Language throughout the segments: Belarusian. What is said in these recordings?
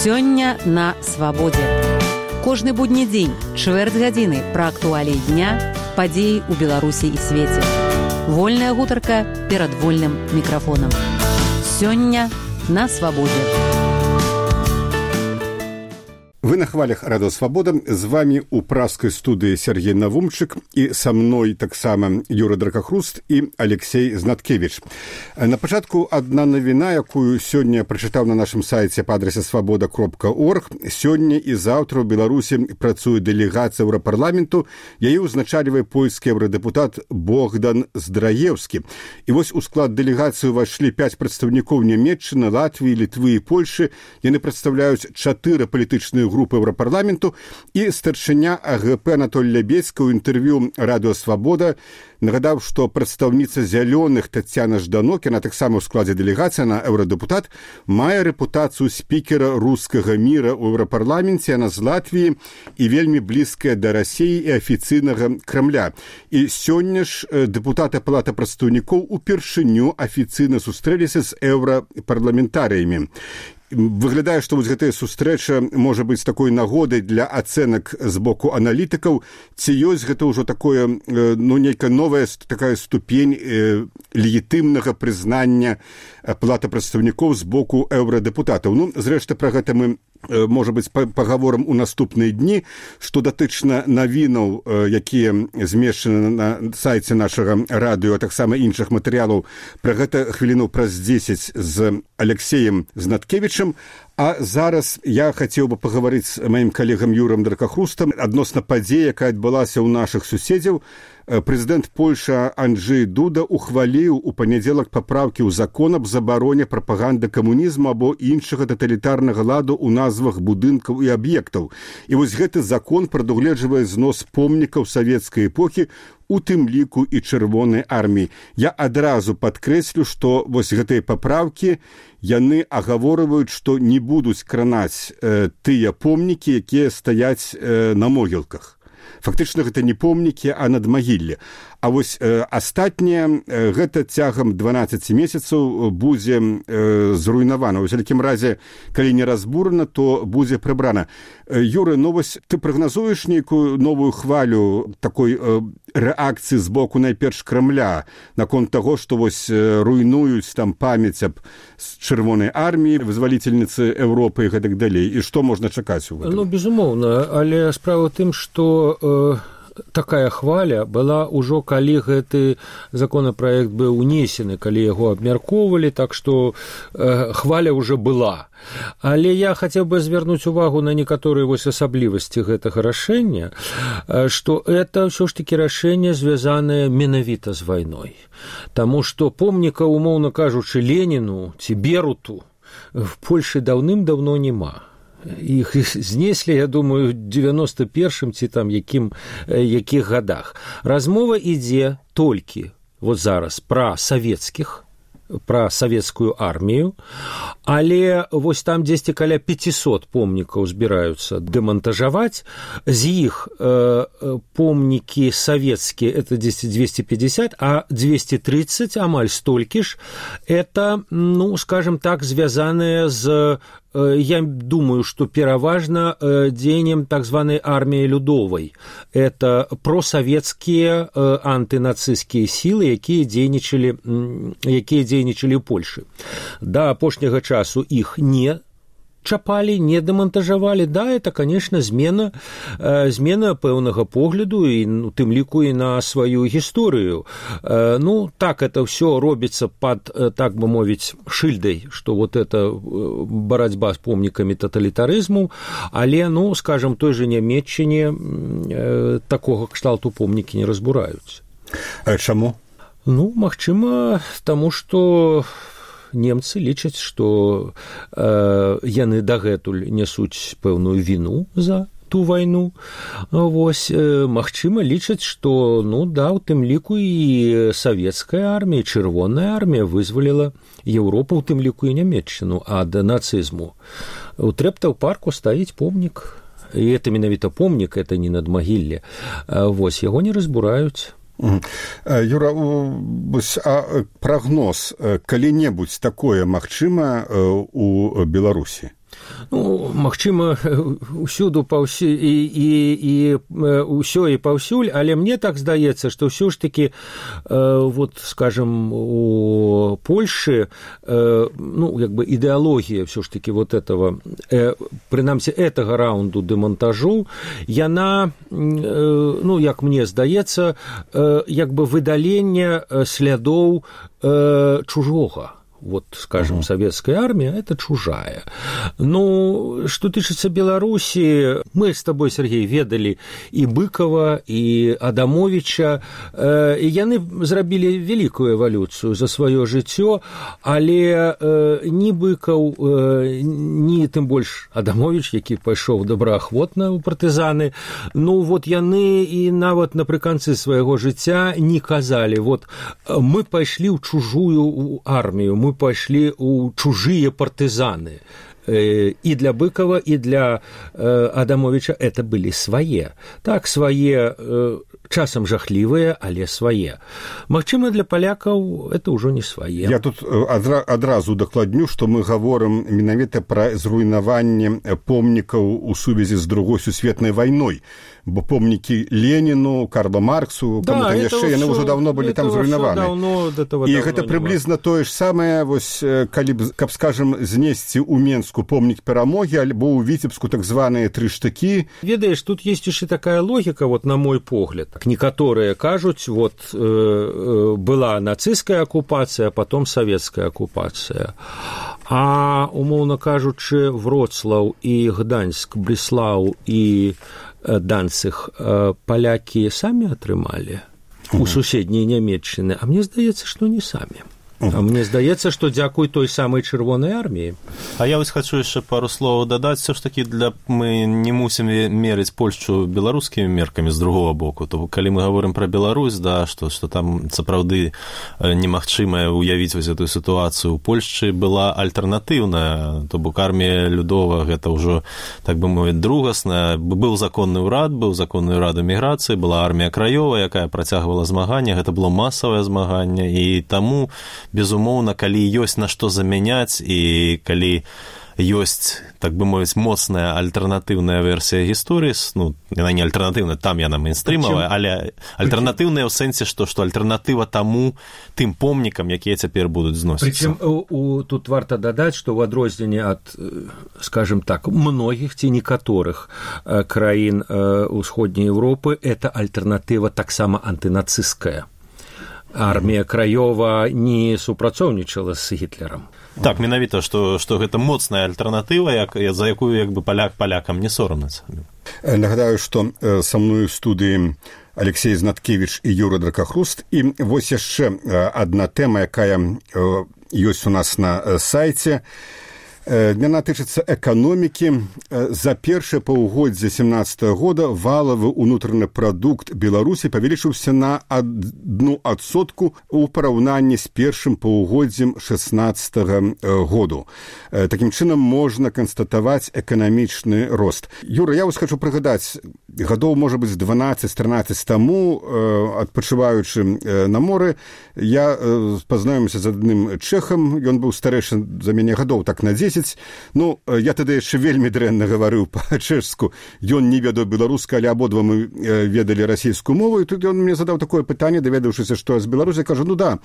Сёння на свабодзе. Кожны будні дзень, чвэрць гадзіны пра актуаліі дня, падзеі ў Беларусі і свеце. Вольная гутарка перад вольным мікрафонам. Сёння на свабодзе. Вы на хвалях Радио Свобода. З вами у пражской студии Сергей Навумчик и со мной так само Юра Дракахруст и Алексей Знаткевич. На початку одна новина, якую сегодня прочитал на нашем сайте по адресу svoboda.org. Сегодня и завтра в Беларуси працует делегация Европарламенту. Ее узначаливает польский евродепутат Богдан Здраевский. И вот у склад делегации вошли 5 представников Німеччини, Латвии, Литвы и Польши. Они представляют 4 политические группы Европарламенту, и старшыня АГП Анатолий Лябедзька ў інтэрв'ю Радио Свобода нагадаў, што прадстаўніца зялёных Тацяна Жданок, яна таксама ў складзе дэлегацыі, на еўрадэпутат, мае рэпутацыю спікера рускага міра ў Еўрапарламенце, яна з Латвіі і вельмі блізкая да Расіі і афіцыйнага Крамля. І сёння ж дэпутаты Палаты прадстаўнікоў упершыню афіцыйна сустрэліся з еўрапарламентарыямі. Выглядае, што вось гэтая сустрэча можа быць такой нагодай для ацэнак з боку аналітыкаў, ці ёсць гэта ўжо такое, нейкая новая такая ступень легітымнага прызнання Палаты прадстаўнікоў з боку еўрадэпутатаў. Зрэшты, пра гэта мы, можа быць, пагаворам у наступныя дні, што датычна навінаў, якія змешчаны на сайце нашага радыё, а таксама іншых матэрыялаў. Пра гэта хвіліну праз 10 з Алексеем Знаткевічем. А зараз я хацеў бы пагаварыць з маім калегам Юрам Дракахрустам адносна падзеі, якая адбылася ў нашых суседзяў. Прэзідэнт Польшы Анджэй Дуда ухваліў у панядзелак папраўкі ў закон аб забароне прапаганды камунізму або іншага таталітарнага ладу ў назвах будынкаў і аб'ектаў. І вось гэты закон прадугледжвае знос помнікаў савецкай эпохі, у тым ліку і чырвонай арміі. Я адразу падкрэслю, што вось гэтыя папраўкі, яны агаворваюць, што не будуць кранаць тыя помнікі, якія стаяць на могілках. Фактычна гэта не помнікі, а надмагілле. А вось астатняе, гэта цягам 12 месяцаў будзе зруйнавана. Вось, у якім разе, калі не разбурана, то будзе прыбрана. Юры, вось ты прагназуеш нейкую новую хвалю такой рэакцыі з боку найперш Крамля наконт таго, што вось руйнуюць там памяць аб чырвонай арміі, вызвалительніцы Еўропы і гэтак далей. І што можна чакаць у гэтым? Безумоўна, але справа ў тым, што такая хваля была ўжо, калі гэты законапраект быў унесены, калі яго абмяркоўвалі, так што хваля ўжо была. Але я хацеў бы звярнуць увагу на некаторыя вось асаблівасці гэтага рашэння, што это ўсё ж такі рашэнне звязанае менавіта з вайной. Таму што помніка, умоўна кажучы, Леніну ці Беруту в Польшы даўным-даўно няма. Іх знеслі, я думаю, 91-м ці там якіх гадах. Размова ідзе толькі вот зараз пра савецкіх, пра савецкую армію, але вось там дзесьці каля 500 помнікаў збіраюцца дэмантажаваць, з іх помнікі савецкія это дзесьці 250, а 230, амаль столькі ж, это, скажем так, звязаныя з, я думаю, что пераважна дзеяннем так званой армии Людовой. Это просоветские антынацистские силы, якія дзейнічалі ў Польшы. Да апошняга часу іх не чапалі, не дэмантажавалі. Да, это, конечно, змена пэўнага погляду і у тым ліку і на сваю гісторыю. Так это все робіцца пад, так бы мовіць, шыльдай, што вот это барацьба з помнікамі таталітарызму, але, скажем, той же Нямецчыне такога кшталту помнікі не разбураюць. А чаму? Магчыма, таму што немцы лічаць, што яны дагэтуль нясуць пэўную віну за ту вайну. Вось, магчыма, лічаць, што, у тым ліку і савецкая армія, чырвоная армія вызваліла Еўропу, у тым ліку і Нямецчыну ад нацызму. У Трэптаў-парку стаіць помнік, і это менавіта помнік, это не надмагілле. Вось, яго не разбураюць. Юра, прагноз, калі-небудзь такое магчыма у Беларусі? Ну, магчыма, усюду і ўсё і паўсюль, але мне так здаецца, што ўсё ж такі, вот, скажем, у Польшы, ну, як бы ідэалогія ўсё ж такі вот этого, прынамсі, гэтага раунду дэмонтажу, яна, ну, як мне здаецца, як бы выдаленне слядоў чужога. Вот, скажем, советская армия – это чужая. Ну, что тычыцца Беларуси, мы с тобой, Сергей, ведали и Быкова, и Адамовича, и яны зрабілі великую эволюцию за свое жыццё, але ні Быкаў, ні тым больш Адамович, які пайшоў добраахвотна ў партызаны, ну, вот яны і нават напрыканцы свайго жыцця не казалі, вот, мы пайшлі ў чужую армію, мы пошли у чужие партизаны. И для Быкова, и для Адамовича это были свои. Так, свои, часам жахлівыя, але свае. Магчыма, для палякаў это ўжо не свае. Я тут адразу дакладню, што мы гаворым менавіта пра зруйнаванне помнікаў у сувязі з Другой сусветнай вайной. Бо помнікі Леніну, Карла Марксу, каму-то яшчэ, яны ўжо даўно былі там зруйнаваны. І гэта прыблізна тое ж самае, вось, каб, скажем, знесці ў Менску помнік перамогі, альбо ў Віцебску так званыя 3 штыкі. Ведаеш, тут есть яшчэ такая логіка, вот, на мой погляд. Некаторыя кажуць, вот, была нацысцкая акупацыя, а потом савецкая акупацыя. А, умоўна кажучы, Вроцлаў і Гданьск, Бреслаў і Данциг палякі самі атрымалі у суседняй Нямецчыны, а мне здаецца, што не самі. А мне здаецца, што дзякуй той самай чырвонай арміі. А я вось хачу яшчэ пару словаў дадаць. Все ж такі мы не мусім мерыць Польшчу беларускімі меркамі з другого боку. То калі мы гаворым пра Беларусь, да, што там сапраўды немагчыма уявіць вось эту сітуацыю. У Польшчы была альтэрнатыўная, то бок армія Людова, гэта ўжо, так бы мовіць, другасная. Быў законны ўрад эміграцыі, была армія краёвая, якая працягвала змаганне, гэта было масавае змаганне, і таму безумоўна, калі ёсць на што замяняць і калі ёсць, так бы мовіць, моцная альтэрнатыўная версія гісторыі, ну, яна не альтэрнатыўная, там яна мейнстрымавая, але альтэрнатыўная ў сэнсе, што альтэрнатыва таму тым помнікам, якія цяпер будуць зносіцца. Прычым тут варта дадаць, што ў адрозненне ад, скажем так, многіх ці некаторых краін усходняй Еўропы, это альтэрнатыва таксама антынацысцкая. Армія краёва не супрацоўнічала з Гітлерам. Так, менавіта, што гэта моцная альтэрнатыва, за якую як бы палякам не сорамна. Нагадаю, што са мною в студыі Алексей Знаткевич і Юра Дракахруст. І вось яшчэ адна тэма, якая ёсць у нас на сайце. Яна тычыцца эканомікі. За першае паўгоддзе 2017 года валавы ўнутраны прадукт Беларусі павялічыўся на 1% у параўнанні з першым паўгоддзем 2016 году. Такім чынам можна канстатаваць эканамічны рост. Юра, я вас хочу прыгадаць, гадоў, можа быць, 12-13 таму, адпачываючы на моры, я пазнаёміўся з адным чэхам, ён быў старэйшы за мяне гадоў так на 10. Ну, я тады яшчэ вельмі дрэнна гаварыў па-чэшску. Ён не ведаў беларускай, але абодва мы ведалі расійскую мову, і тут ён мне задаў такое пытанне, даведаўшыся, што з Беларусі, кажу, ну да,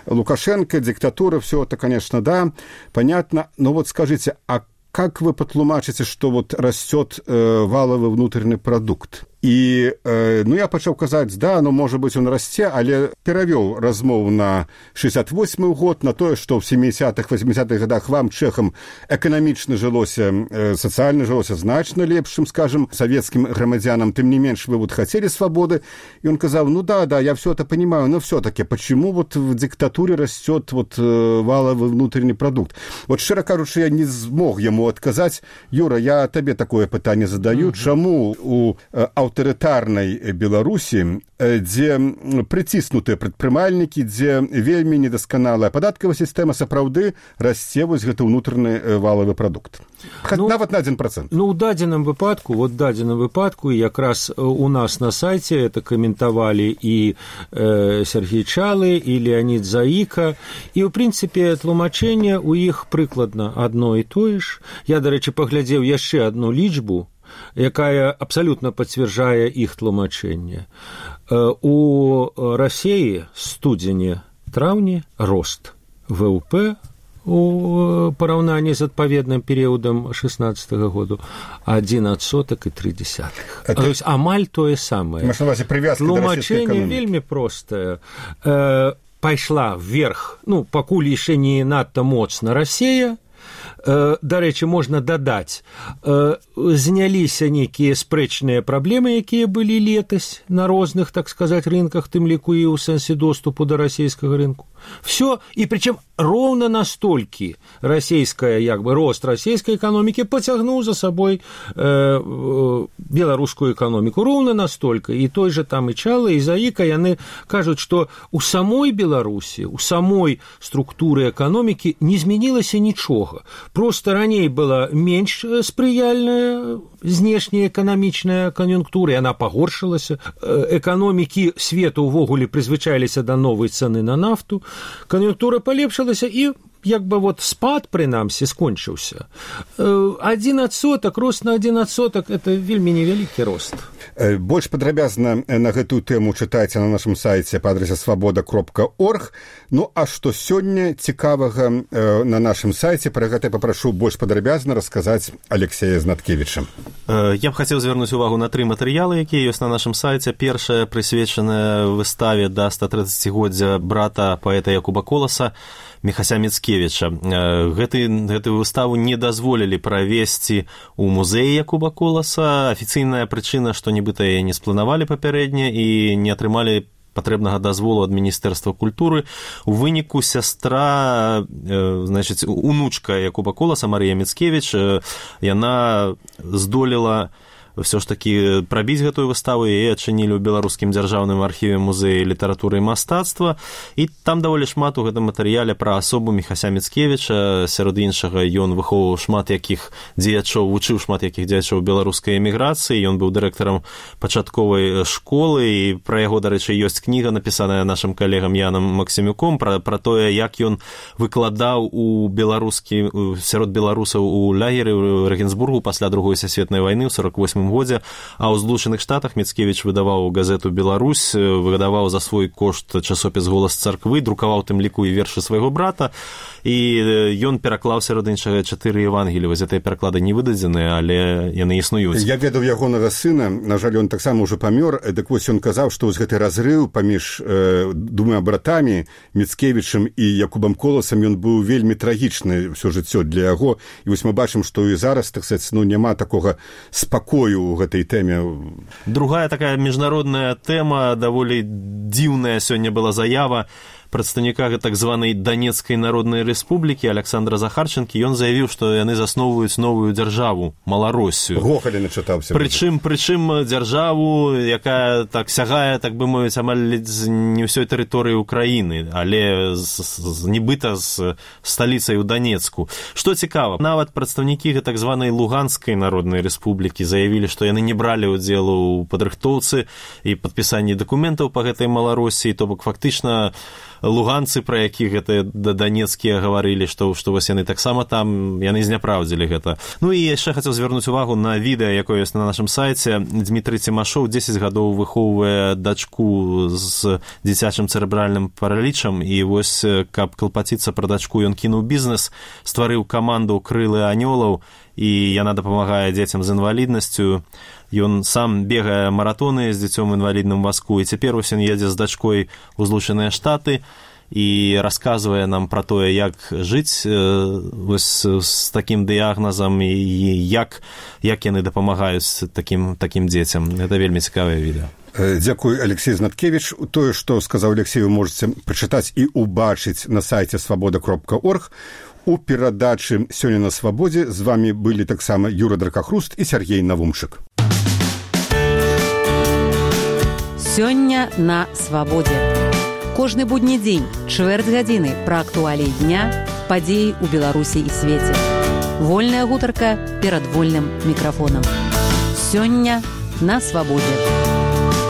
Лукашенко, диктатура, все это, конечно, да, понятно, но вот скажите, а как вы патлумачыце, што вот растет валовый внутренний продукт? І, ну, я пачаў казаць, да, ну, можа быць, он расце, але перавёў размову на 68-й год, на тое, што ў 70-х, 80-х годах вам, чэхам, эканамічна жылося, сацыяльна жылося значна лепшым, скажем, савецкім грамадзянам, тым не менш вы вот хотели свободы. И он казаў, ну да, я все это понимаю, но все-таки, почему вот в диктатуре растет вот валовый внутренний продукт? Вот, шчыра кажучы, я не змог яму адказаць. Юра, я табе такое пытанне задаю, чаму у аўтарытарнай Беларусі, дзе прыціснутыя прадпрымальнікі, дзе вельмі недасканалая падаткавая сістэма, сапраўды расце вось гэты ўнутраны валавы прадукт. Нават на 1%. Ну, у дадзеным выпадку, якраз у нас на сайце это каментавалі і Сергей Чалы, і Леонид Заіка, і, ў прынцыпе, тлумачэнне у іх прыкладна адно і тое ж. Я, дарэчы, паглядзеў яшчэ одну лічбу, якая абсалютна пацвярджае іх тлумачэнне. У Расіі студзені-траўні рост ВВП у параўнанні з адпаведным перыядам 16-го году 1,3%. То есть амаль тое самае. Тлумачэнне вельмі простае. Пайшла вверх, ну, пакуль яшчэ не надта моцна Расія. Дарэчы, можна дадаць, зняліся нейкія спрэчныя праблемы, якія былі летась на розных, так сказаць, рынках, тым ліку і ў сэнсе доступу да расійскага рынку. Все, і причем роўна настолькі рост расійскай эканомікі пацягнуў за сабой беларускую эканоміку. Роўна настолькі. І той же там і Чала, і Заіка, яны кажуць, што у самой Беларусі, у самой структуры эканомікі не змянілася нічога. Просто раней была менш спрыяльная знешняя эканамічная кан'юнктура, і яна пагоршылася. Эканомікі свету ўвогуле прызвычаіліся да новай цэны на нафту. Кан'юнктура палепшылася, і як бы вот спад, прынамсі, скончыўся. 1%, рост на 1% – это вельмі невялікі рост. Больш падрабязна на гэтую тэму чытайце на нашым сайце па адрасе свабода.орг. Ну, а што сёння цікавага на нашым сайце, пра гэта папрашу больш падрабязна расказаць Алексея Знаткевіча. Я б хацеў звярнуць увагу на 3 матэрыялы, якія ёсць на нашым сайце. Першая прысвечаная выставе да 130-годдзя брата паэта Якуба Коласа Міхася Міцкевіча. Гэтую выставу не дазволілі правесці ў музеі Якуба Коласа. Афіцыйная прычына, што нібыта яе не спланавалі папярэдне і не атрымалі патрэбнага дазволу ад Міністэрства культуры. У выніку сястра, значыць, унучка Якуба Коласа, Марыя Міцкевіч, яна здолела все ж таки прабіць гэтую выставу, і адчынілі ў беларускім дзяржаўным архіве музея літаратуры і мастацтва. І там даволі шмат у гэтым матэрыяле пра асобу Міхася Міцкевіча. Сярод іншага, ён выхоўваў шмат якіх дзеячоў, вучыў шмат якіх дзеячоў беларускай эміграцыі. Ён быў дырэктарам пачатковай школы, і пра яго, дарэчы, ёсць кніга, напісаная нашым калегам Янам Максімюком, пра тое, як ён выкладаў у сярод беларусаў у лагеры ў Рэгенсбургу пасля Другой сусветнай вайны ў 48 годзе, а ў Злучаных Штатах Міцкевіч выдаваў газету «Беларусь», выдаваў за свой кошт часопіс «Голас царквы», друкаваў тым ліку і вершы свайго брата, і ён пераклаў сярод іншага 4 Евангелі. Вось гэтыя пераклады не выдадзеныя, але яны існуюць. Я ведаў ягонага сына, на жаль, ён таксама ўжо памёр, дык вось ён казаў, што вось гэты разрыў паміж двума братамі, Міцкевічам і Якубам Коласам, ён быў вельмі трагічны ўсё жыццё для яго. І вось мы бачым, што і зараз, так сказаць, няма такога спакою у гэтай тэме. Другая такая міжнародная тэма, даволі дзіўная сёння была заява прадстаўніка так званай Данецкай народнай рэспублікі Александра Захарченкі. Ён заявіў, што яны засноўваюць новую дзяржаву, Малароссію. Гохалі начытаўся. Прычым дзяржаву, якая так сягае, так бы мовіць, амаль не ўсёй тэрыторыі ўкраіны, але нібыта з сталіцай у Данецку. Што цікава, нават прадстаўнікі так званай Луганскай народнай рэспублікі заявілі, што яны не бралі ўдзелу ў падрыхтоўцы і падпісанні дакументаў па гэтай Малароссіі, то бок фактычна луганцы, пра якіх гэта данецкія гаварылі, што вось яны таксама там, яны зняпраўдзілі гэта. Ну і яшчэ хацеў звярнуць увагу на відэа, якое ёсць на нашым сайце. Дмітрый Цімашоў 10 гадоў выхоўвае дачку з дзіцячым цэрэбральным паралічам, і вось, каб клапаціцца пра дачку, ён кінуў бізнес, стварыў каманду «Крылы анёлаў», і яна дапамагае дзецям з інваліднасцю. Ён сам бегае маратоны з дзіцём інвалідным вазку, і цяпер ён едзе з дачкой у Злучаныя Штаты і расказвае нам пра тое, як жыць вось з такім дыягназам і як яны дапамагаюць такім дзецям. Гэта вельмі цікавае відэа. Дзякуй, Алексей Знаткевіч. Тое, што сказаў Алексей, вы можаце прачытаць і ўбачыць на сайце свабода.орг. У перадачы «Сёння на свабодзе» з вамі былі таксама Юра Дракахруст і Сергей Навумчык. Сёння на свабодзе. Кожны будні дзень, чвэрць гадзіны пра актуаліі дня, падзеі ў Беларусі і свеце. Вольная гутарка перад вольным мікрафонам. Сёння на свабодзе.